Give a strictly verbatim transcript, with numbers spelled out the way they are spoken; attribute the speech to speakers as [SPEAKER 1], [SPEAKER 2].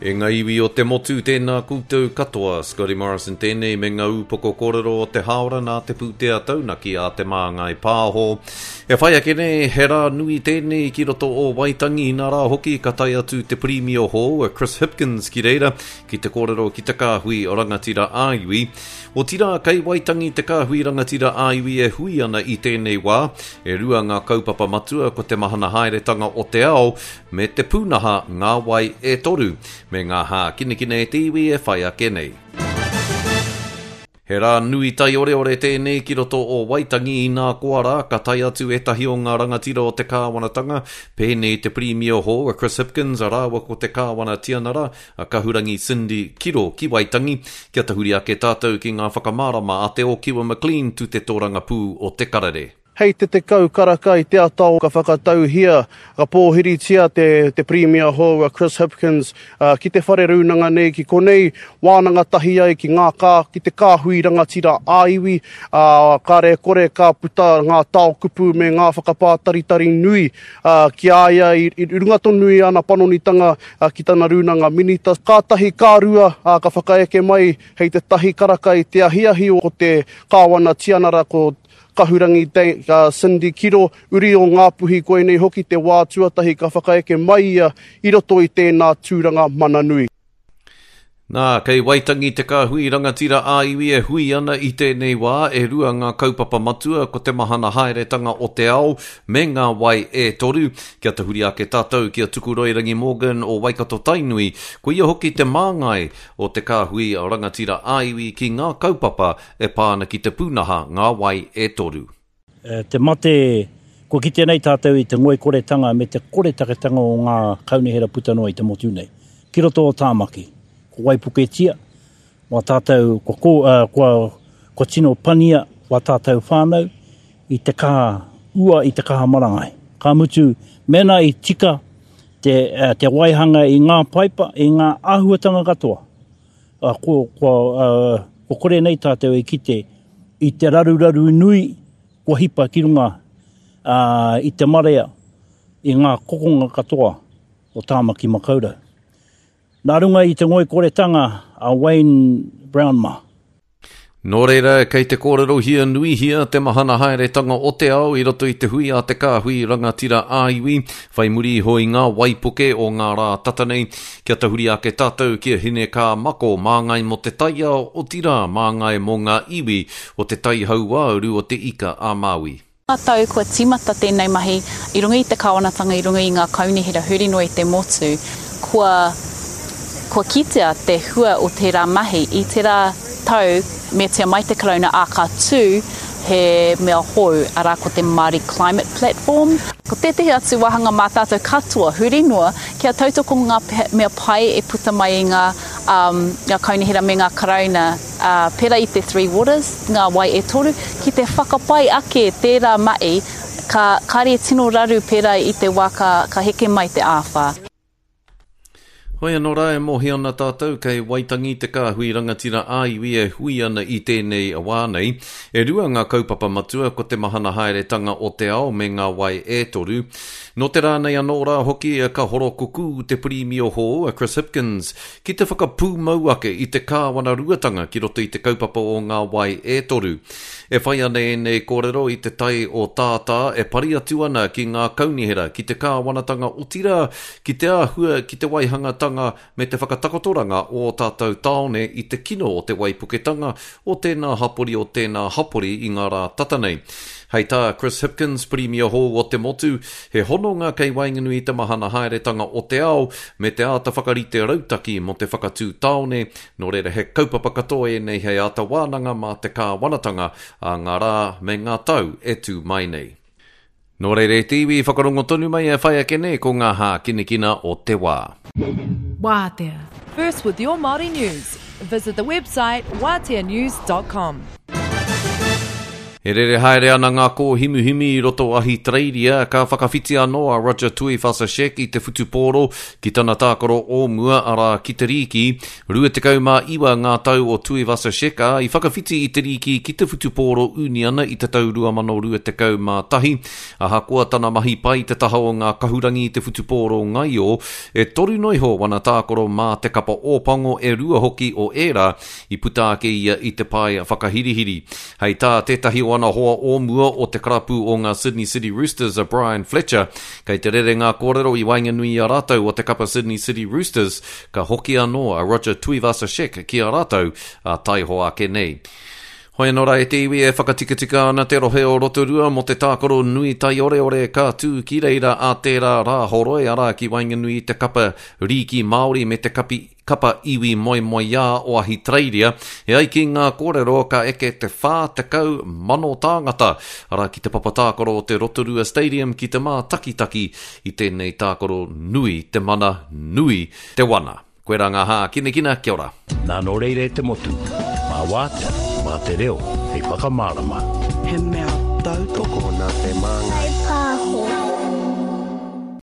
[SPEAKER 1] E ngā iwi o te motu, tēnā koutou katoa. Scotty Morrison tēnei me ngā upoko kōrero o te hāora nā te pūtea taunaki a Te Māngai Pāho. E whai ake nei, he rā nui tēnei ki roto o Waitangi, nā rā hoki ka tae atu te Pirimia hou a Chris Hipkins ki reira ki te kōrero ki te kāhui rangatira ā-iwi. Otirā, kei Waitangi te kāhui rangatira ā-iwi e hui ana i tēnei wā. E rua ngā kaupapa matua ko te mahana haeretanga o te ao me te pūnaha ngā wai e toru, me ngā hākinakina e te iwi e whai ake nei. He rā nui taioreore tēnei ki roto o Waitangi inā koa rā, ka tae atu ētahi o ngā rangatira o te kāwanatanga, pēnei te Pirimia hou a Chris Hipkins a rāua ko te Kāwana Tianara a Kahurangi Cindy Kiro ki Waitangi, kia tahuri ake tātou ki ngā whakamārama a Te Ōkiwa McLean tū te tōrangapū o Te Karere.
[SPEAKER 2] Hei te tekau karaka i te ata ka whakatauhia, ka pōhiritia te, te Pirimia hou a Chris Hipkins uh, ki te whare rūnanga nei, ki konei wānanga tahi ai ki ngā kā, ki te kāhui rangatira ā-iwi, uh, kāre kore ka puta ngā tao kupu me ngā whakapātaritari nui uh, ki a ia i, i runga tonu i ana panonitanga uh, ki tana rūnanga minita. Ka tahi ka rua uh, ka whakaeke mai hei te tahi karaka i te ahiahi o te Kāwana Tianara ko Kahurangi uh, Cindy Kiro, uri o Ngāpuhi koinei hoki te wā tuatahi ka whakaeke mai ia i roto i tēnā tūranga mana nui.
[SPEAKER 1] Nā, kei Waitangi te kāhui rangatira ā-iwi e hui ana i tēnei wā, e rua ngā kaupapa matua ko te mahana haeretanga o te ao me ngā wai e toru. Kia tahuri ake tātou ki a Tukuroirangi Morgan o Waikato Tainui, ko ia hoki te māngai o te kāhui rangatira ā-iwi ki ngā kaupapa e pā ana ki te pūnaha ngā wai e toru.
[SPEAKER 3] Te mate, kua kite nei tātou i te ngoikoretanga me te koretaketanga o ngā kaunihera puta noa i te motu nei. Ki roto o Tāmaki, ko waipuketia, wā tātou, kua, ko, uh, kua, kua tino pania wā tātou whānau i te kaha ua, i te kaha marangai. Ka mutu, mēnā i tika te, uh, te waihanga i ngā paipa, i ngā āhuatanga katoa, uh, kua, kua, uh, kua kore nei tātou e kite i te raruraru nui kua hipa ki runga uh, i te marea i ngā kokonga katoa o Tāmaki Makaurau. Nā runga i te ngoikoretanga a Wayne Brown mā.
[SPEAKER 1] Nō reira, kei te kōrerohia nuihia te mahana haeretanga o te ao i roto i te hui a te kāhui rangatira ā-iwi, whai muri iho i ngā waipuke o ngā rā tata nei, kia tahuri ake tātou ki a Hine Kā Mako, māngai mō te taiao, otirā māngai mō ngā iwi o te tai hauāuru o te Ika a Māui.
[SPEAKER 4] Ngā tau kua tīmata tēnei mahi i runga i te kāwanatanga, i runga i ngā kaunihera huri noa i te motu, kua, kua kitea te hua o tērā mahi. I tērā tau, meatia mai te Karauna, ā, ka tū he mea hou, arā ko te Māori Climate Platform. Ko tētehi atu wāhanga mā tātou katoa, huri noa, kia tautoko ngā mea pai e puta mai i ngā, um, ngā kaunihera me ngā Karauna, uh, pērā i te Three Waters, ngā wai e toru, ki te whakapai ake tērā mahi, ka kāre tino raru pērā i te wā ka, ka heke mai te āwhā.
[SPEAKER 1] Hoi anō rā e mōhio ana tātou kei Waitangi te kāhui rangatira ā-iwi e hui ana i tēnei wā nei. E rua ngā kaupapa matua ko te mahana haeretanga o te ao me ngā wai e toru. Nō te rā nei anō rā hoki ka horokukū te Pirimia hou a Chris Hipkins ki te whakapūmau ake i te kāwanaruatanga ki roto i te kaupapa o ngā wai e toru. E whai ana ēnei kōrero i te tai o tātā e pari atu ana ki ngā kaunihera, ki te kāwanatanga otirā, ki te āhua, ki te waihangatanga me te whakatakotoranga o ō tātou tāone i te kino o te waipuketanga o tēnā hapori o tēnā hapori i ngā rā tata nei. Hei tā Chris Hipkins, Pirimia hou o te motu, he hononga kei waenganui i te mahana haeretanga o te ao me te āta whakarite rautaki mō te whakatū tāone, nō reira he kaupapa katoa ēnei hei āta wānanga mā te kāwanatanga a ngā rā me ngā tau e tū mai nei. Nō reira e te iwi, whakarongo tonu mai e whai ake nei ko ngā hākinakina o te wā.
[SPEAKER 5] Wātea. First with your Māori news. Visit the website wātea news dot com.
[SPEAKER 1] E rere haere ana ngā kōhimuhimi i roto Ahitereiria, ka whakawhiti anō a Roger Tuivasa-Sheck i te whutupōro ki tana tākaro o mua, arā ki te rīki. rua tekau mā iwa ngā tau o Tuivasa-Sheck, ā, i whakawhiti i te rīki ki te whutupōro uniana i te tau rua mano rua tekau mā tahi. Ahakoa tana mahi pai te taha o ngā kahurangi i te whutupōro ngaio, e toru noa iho wana tākaro mā te kapa Ōpango, e rua hoki o ērā i puta ake ia i te pae whakahirihiri. Hei tā tētahi o ana hoa o mua o te karapu o ngā Sydney City Roosters a Brian Fletcher, kei te rere ngā kōrero i waenganui i a rātou o te kapa Sydney City Roosters, ka hoki anō a Roger Tuivasa-Sheck ki a rātou a taihoa ake nei. Hoi anō rā e te iwi, e whakatikatika ana te rohe o Rotorua mō te tākaro nui taioreore ka tū ki reira a tērā Rāhoroi, arā ki waenganui i te kapa rīki Māori me te kapi, kapa iwi moemoeā o Ahitereiria. E ai ki ngā kōrero ka eke te whā tekau mano tāngata, arā ki te papa tākaro o te Rotorua Stadium ki te mātakitaki i tēnei tākaro nui te mana, nui te wana. Koe rā ngā hākinakina, kia ora.
[SPEAKER 6] Nā nō reira e te motu, mā wātea, mā te reo, hei whakamārama.
[SPEAKER 7] He mea tautoko
[SPEAKER 8] Tokona te māngai.